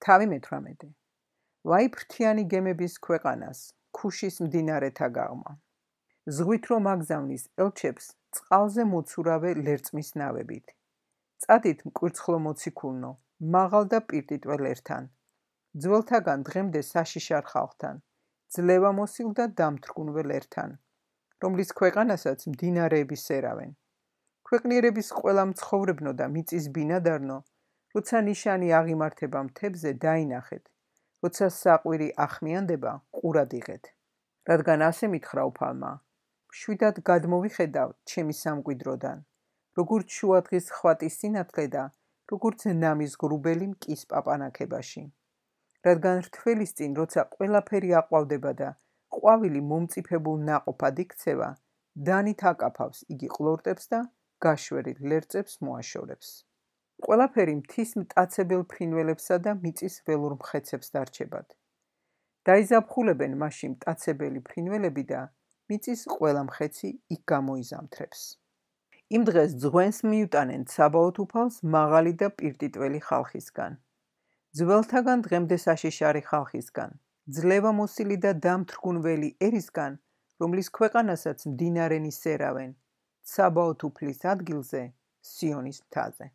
თავი მე-18. ვაი ფრთიანი გემების ქვეყანას, ქუშის მდინარეთა გაღმა. ზღვით რომ აგზავნის ელჩებს, წყალზე მოცურავე ლერწმის ნავებით. წადით მკვირცხლო მოციქულნო, მაღალ და პირდიტველ ერთან. ძველთაგან დღემდე საშიშარ ხალხთან, ძლევა მოსილ და დამთრგუნվել ერთან, რომლის ქვეყანასაც მდინარეები სერავენ. ქვეყნიერების ყველა მცხოვრებნო და მიწის ბინადარნო, როცა ნიშანი აღიმართება მთებზე დაინახეთ, როცა საყვირი ახმიანდება, ყურად იღეთ. რადგან ასე მითხრა უფალმა, მშვიდად გადმოვიხედავ ჩემი სამკვიდროდან, როგორც შუადღის ხვატის სინათლე და როგორც ნამის ღრუბელი მკის პაპანაქებაში. რადგან რთველის წინ, როცა ყველაფერი აყვავდება და ყვავილი მომწიფებულ ნაყოფად იქცევა, დანით აკაფავს იგი ყლორტებს და გაშვერილ ლერწებს მოაშორებს. ყველაფერი მთის მტაცებელ ფრინველებსა და მიწის ველურ მხეცებს დარჩებათ. დაიზაფხულებენ მაშინ მტაცებელი ფრინველები და მიწის ყველა მხეცი იქ გამოიზამთრებს. იმ დღეს ძღვენს მიუტანენ ცაბაოთ უფალს მაღალი და პირდიტველი ხალხისგან. ძველთაგან დღემდე საშიშარი ხალხისგან, ძლევა მოსილი და დამთრგუნველი ერისგან, რომლის ქვეყანასაც მდინარენი სერავენ, ცაბაოთ უფლის ადგილზე, სიონის მთაზე.